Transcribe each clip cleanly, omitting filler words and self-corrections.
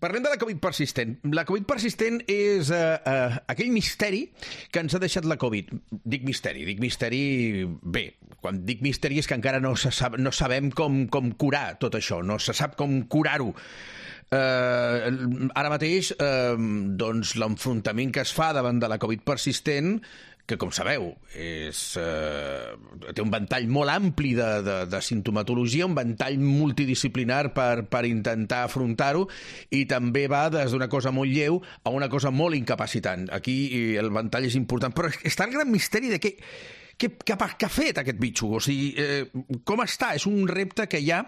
Parlem de la Covid persistent. La Covid persistent és aquell misteri que ens ha deixat la Covid. Dic misteri... Bé, quan dic misteri és que encara no sabem com curar tot això, no se sap com curar-ho. Ara mateix, doncs, l'enfrontament que es fa davant de la Covid persistent, que, com sabeu, té un ventall molt ampli de simptomatologia, un ventall multidisciplinar per intentar afrontar-ho, i també va des d'una cosa molt lleu a una cosa molt incapacitant. Aquí el ventall és important, però està el gran misteri de què ha fet aquest bitxo, o sigui, com està? És un repte que hi ha,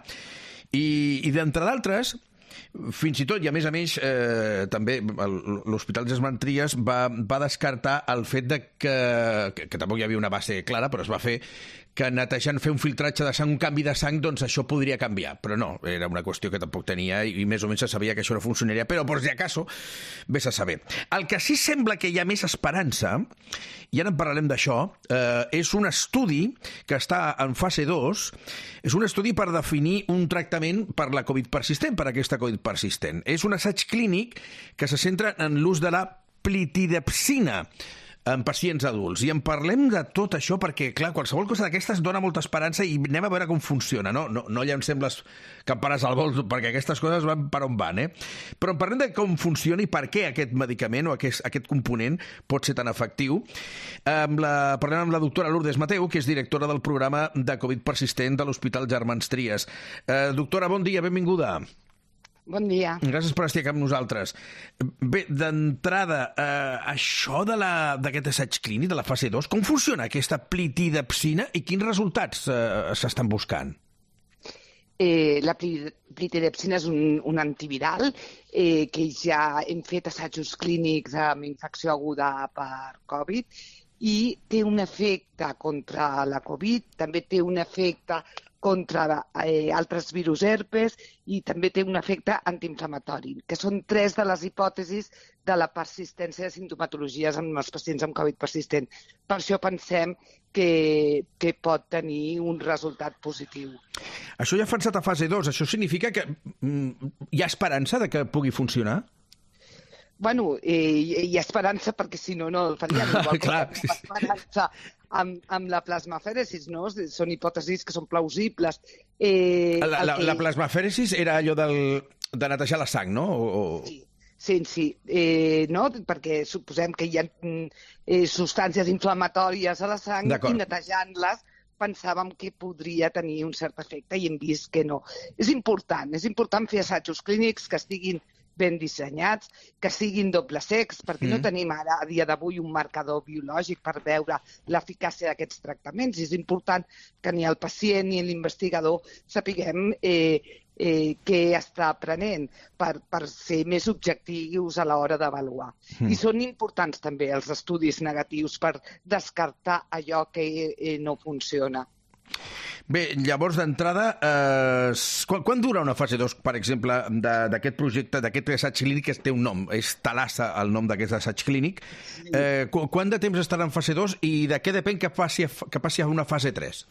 i d'entre d'altres, fins i tot, i a més també l'Hospital Gesmant Trias va descartar el fet de que tampoc hi havia una base clara, però es va fer, que netejant, fer un filtratge de sang, un canvi de sang, doncs això podria canviar. Però no, era una qüestió que tampoc tenia i més o menys se sabia que això no funcionaria, però per si acaso, vés a saber. El que sí sembla que hi ha més esperança, i ara en parlarem d'això, és un estudi que està en fase 2, és un estudi per definir un tractament per la Covid persistent, per aquesta Covid persistent. És un assaig clínic que se centra en l'ús de la plitidepsina en pacients adults. I en parlem de tot això perquè, clar, qualsevol cosa d'aquestes dona molta esperança i anem a veure com funciona, no? No llancem les campanes al vol, perquè aquestes coses van per on van, Però en parlem de com funciona i per què aquest medicament o aquest component pot ser tan efectiu. Parlem amb la doctora Lourdes Mateu, que és directora del programa de Covid persistent de l'Hospital Gesmant Trias. Doctora, bon dia, benvinguda. Bon dia. Gràcies per estar aquí amb nosaltres. Bé, d'entrada, això d'aquest assaig clínic de la fase 2, com funciona aquesta plitidepsina i quins resultats s'estan buscant? La plitidepsina és un antiviral que ja hem fet assajos clínics amb infecció aguda per Covid i té un efecte contra la Covid, també té un efecte contra altres virus herpes i també té un efecte antiinflamatori, que són 3 de les hipòtesis de la persistència de simptomatologies en els pacients amb Covid persistent. Per això pensem que pot tenir un resultat positiu. Això ja ha avançat a fase 2. Això significa que hi ha esperança de que pugui funcionar? Bueno, hi ha esperança perquè si no, no el faríem. Igual clar, que esperança amb la plasmafèresis, no? Són hipòtesis que són plausibles. La plasmafèresis era allò de netejar la sang, no? Sí. No? Perquè suposem que hi ha substàncies inflamatòries a la sang i netejant-les pensàvem que podria tenir un cert efecte i hem vist que no. És important fer assajos clínics que estiguin ben dissenyats, que siguin doble sex, perquè no tenim ara, a dia d'avui, un marcador biològic per veure l'eficàcia d'aquests tractaments. És important que ni el pacient ni l'investigador sapiguem què està prenent per ser més objectius a l'hora d'avaluar. I són importants també els estudis negatius per descartar allò que no funciona. Bé, llavors, d'entrada, quan dura una fase 2, per exemple, d'aquest projecte, d'aquest assaig clínic que té un nom? És Thalassa el nom d'aquest assaig clínic. Quant de temps estarà en fase 2 i de què depèn que passi a una fase 3?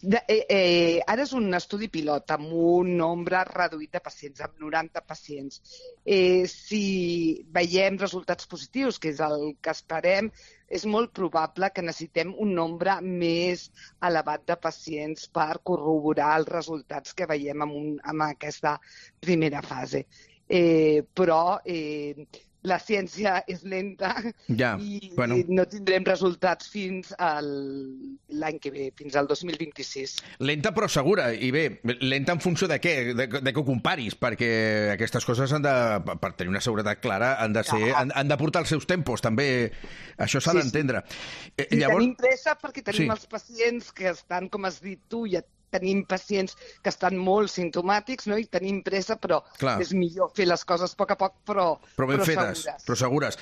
Ara és un estudi pilot amb un nombre reduït de pacients, amb 90 pacients. Si veiem resultats positius, que és el que esperem, és molt probable que necessitem un nombre més elevat de pacients per corroborar els resultats que veiem en aquesta primera fase. Però la ciència és lenta i no tindrem resultats fins l'any que ve, fins al 2026. Lenta però segura, i bé, lenta en funció de què? De què ho comparis, perquè aquestes coses per tenir una seguretat clara han de portar els seus tempos, també això s'ha d'entendre. Tenim pressa perquè tenim els pacients que estan, com has dit tu, ja tenim pacients que estan molt simptomàtics, no? I tenim pressa, però és millor fer les coses a poc, però ben fetes, però segures.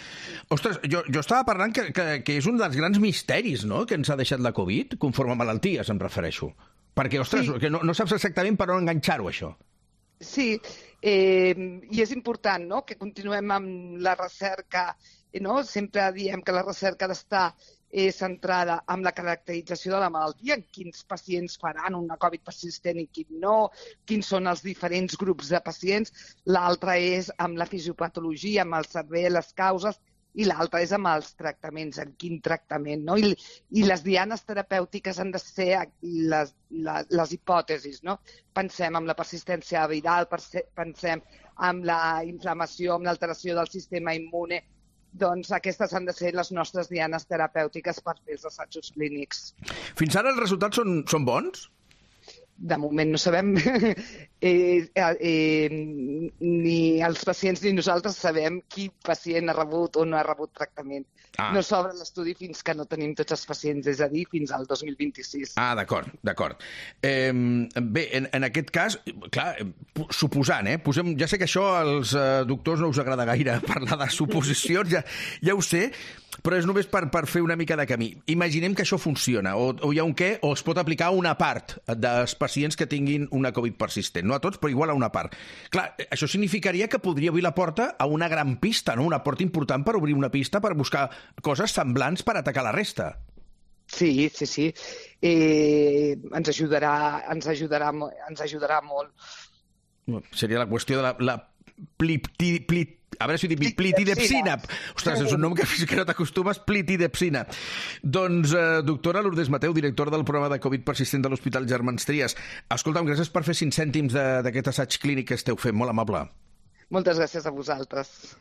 Ostres, jo estava parlant que és un dels grans misteris, no?, que ens ha deixat la Covid, conforme a malalties, em refereixo. Perquè, ostres, que no saps exactament per on enganxar-ho, això. Sí, i és important, no?, que continuem amb la recerca, no? Sempre diem que la recerca ha d'estar centrada en la caracterització de la malaltia, en quins pacients faran una Covid persistent i quin no, quins són els diferents grups de pacients. L'altra és amb la fisiopatologia, amb el cervell, les causes, i l'altra és amb els tractaments, en quin tractament, no? I les dianes terapèutiques han de ser les hipòtesis, no? Pensem en la persistència viral, pensem en la inflamació, en l'alteració del sistema immune. Doncs aquestes han de ser les nostres dianes terapèutiques per fer els assajos clínics. Fins ara els resultats són bons? De moment no sabem, ni els pacients ni nosaltres sabem quin pacient ha rebut o no ha rebut tractament. No s'obre l'estudi fins que no tenim tots els pacients, és a dir, fins al 2026. D'acord. Bé, en aquest cas, clar, suposant, ja sé que això als doctors no us agrada gaire parlar de suposicions, ja ho sé, però és només per fer una mica de camí. Imaginem que això funciona, o hi ha un què, o es pot aplicar a una part dels pacients que tinguin una Covid persistent. No a tots, però igual a una part. Clar, això significaria que podria obrir la porta a una gran pista, no? Una porta important per obrir una pista, per buscar coses semblants per atacar la resta. Sí. Ens ajudarà molt. Seria la qüestió de la a veure si ho dic, plitidepsina. Ostres, és un nom que no t'acostumes, plitidepsina. Doncs, doctora Lourdes Mateu, directora del programa de Covid persistent de l'Hospital Germans Trias. Escolta'm, gràcies per fer 5 cèntims d'aquest assaig clínic que esteu fent, molt amable. Moltes gràcies a vosaltres.